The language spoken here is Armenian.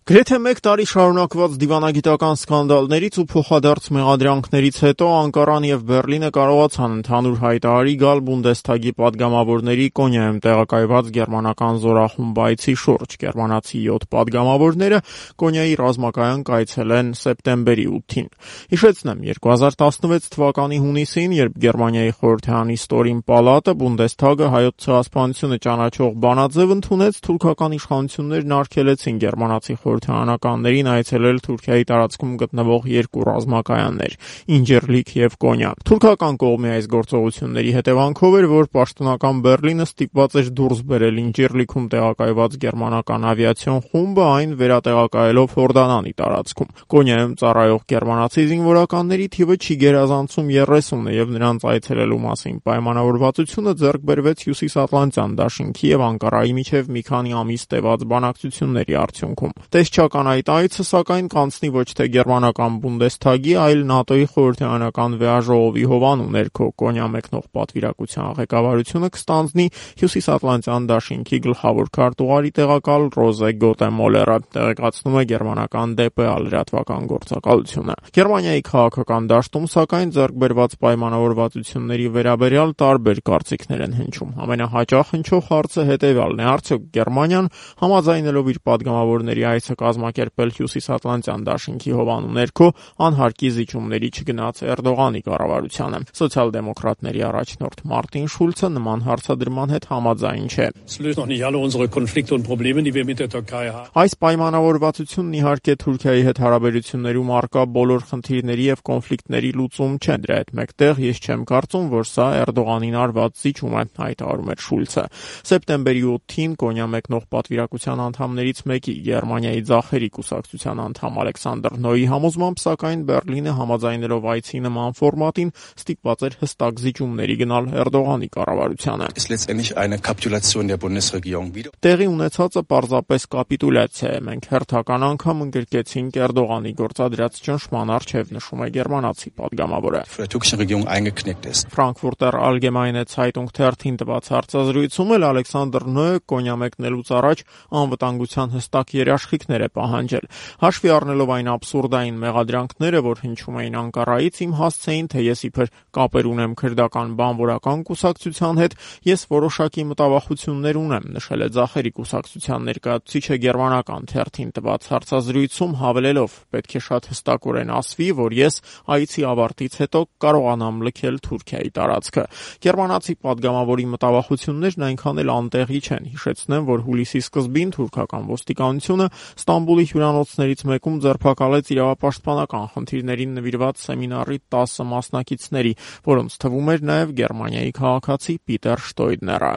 Գրեթե մեկ տարի շարունակված դիվանագիտական սկանդալներից ու փոխադարձ մեղադրանքներից հետո Անկարան եւ Բեռլինը կարողացան ընդհանուր հայտարարի գալ Բունդեսթագի պատգամավորների Կոնյայում տեղակայված գերմանական զորախումբ այցի շուրջ։ Գերմանացի 7 պատգամավորները Կոնյայի ռազմակայան կայցել են սեպտեմբերի 8-ին։ Հիշեցնեմ, 2016 թվականի հունիսին, երբ Գերմանիայի խորհրդարանի ստորին պալատը Բունդեսթագը հայոց ցեղասպանությունը ճանաչող բանաձև ընդունեց, թուրքական իշխանություններն արգելեցին գերմանացի խորհրդարանականներին այցելել Թուրքիայի տարածքում գտնվող երկու ռազմակայաններ՝ Ինջերլիք եւ Կոնյա։ Թուրքական կողմի այս գործողությունների հետևանքով էր, որ պաշտոնական Բեռլինը ստիպված էր դուրս բերել Ինջերլիքում տեղակայված գերմանական ավիացիոն խումբը, այն վերատեղակայելով Հորդանանի տարածքում։ Կոնյայում ծառայող գերմանացի զինվորականների թիվը չի գերազանցում 30-ը եւ նրանց այցելելու մասին պայմանավորվածությունը ձեռք բերվեց Հյուսիսատլանտյան դաշինքի եւ Անկարայի միջև մի քանի ամիս տևած բանակցությունների արդյունքում։ Տեսչական այդ այցը, սակայն, կանցնի ոչ թե գերմանական Բունդեսթագի, այլ ՆԱՏՕ-ի խորհրդարանական վեաժողովի հովանու ներքո։ Կոնյա մեկնող պատվիրակության ղեկավարությունը կստանձնի Հյուսիսատլանտյան դաշինքի գլխավոր քարտուղարի տեղակալ Ռոզե Գոտեմոլերը, տեղեկացնում է գերմանական ԴՊԱ լրատվական գործակալությունը։ Գերմանիայի քաղաքական դաշտում, սակայն, ձեռք բերված պայմանավորվածությունների վերաբերյալ տարբեր կարծիքներ են հնչում։ Ամենահաճախ հնչող հարցը հետևյալն է. արդյոք Գերմանիան համաձայնելով իր պատգամավորների այցը կազմակերպել Հյուսիսատլանտյան դաշինքի հովանու ներքո անհարկի զիջումների չգնաց Էրդողանի կառավարությանը։ Սոցիալ-դեմոկրատների առաջնորդ Մարտին Շուլցը նման հարցադրման հետ համաձայն չէ։ Այս պայմանավորվածությունն իհարկե Թուրքիայի հետ հարաբերություններում առկա բոլոր խնդիրների եւ կոնֆլիկտների լուծում չէ։ Դրա հետ մեկտեղ ես չեմ կարծում, որ սա Էրդողանին արված զիջում է, հայտարարում է Շուլցը։ Սեպտեմբերի 8-ին Կոնյա մեկնող պատվիրակության անդամներից մեկի Գերմանիայի ձախերի կուսակցության անդամ Ալեքսանդր Նոյի համոզմամբ, սակայն, Բեռլինը համաձայնելով այցի նման ֆորմատին ստիպված էր հստակ զիջումների գնալ Էրդողանի կառավարությանը։ Տեղի ունեցածը պարզապես կապիտուլյացիա է։ Մենք հերթական անգամ ընդգրկեցինք Էրդողանի գործադրած ճնշման առջև, նշում է գերմանացի պատգամավորը։ Ֆրանկֆուրտեր Ալգեմայնե Ցայտունգ թերթին տված հարցազրույցում էլ Ալեքսանդր Նոյը Կոնյա մեկնելուց առաջ անվտանգության հստակ երաշխիքներ է պահանջել։ Հաշվի առնելով այն աբսուրդային մեղադրանքները, որ հնչում էին Անկարայից, իմ հասցեին, թե ես իբր կապեր ունեմ քրդական բանվորական կուսակցության հետ, ես որոշակի մտավախություններ ունեմ, նշել է ձախերի կուսակցության ներկայացուցիչը գերմանական թերթին տված հարցազրույցում, հավելելով. պետք է շատ հստակորեն ասվի, որ ես այցի ավարտից հետո կարողանամ լքել Թուրքիայի տարածքը։ Գերմանացի պատգամավորի մտավախություններն այնքան էլ անտեղի չեն։ Հիշեցնեմ, որ հուլիսի սկզբին թուրքական ոստիկանությունը Ստամբուլի հյուրանոցներից մեկում ձերբակալեց իրավապաշտպանական խնդիրներին նվիրված սեմինարի 10 մասնակիցների, որոնց թվում էր նաև Գերմանիայի քաղաքացի Պիտեր Շտոյդները։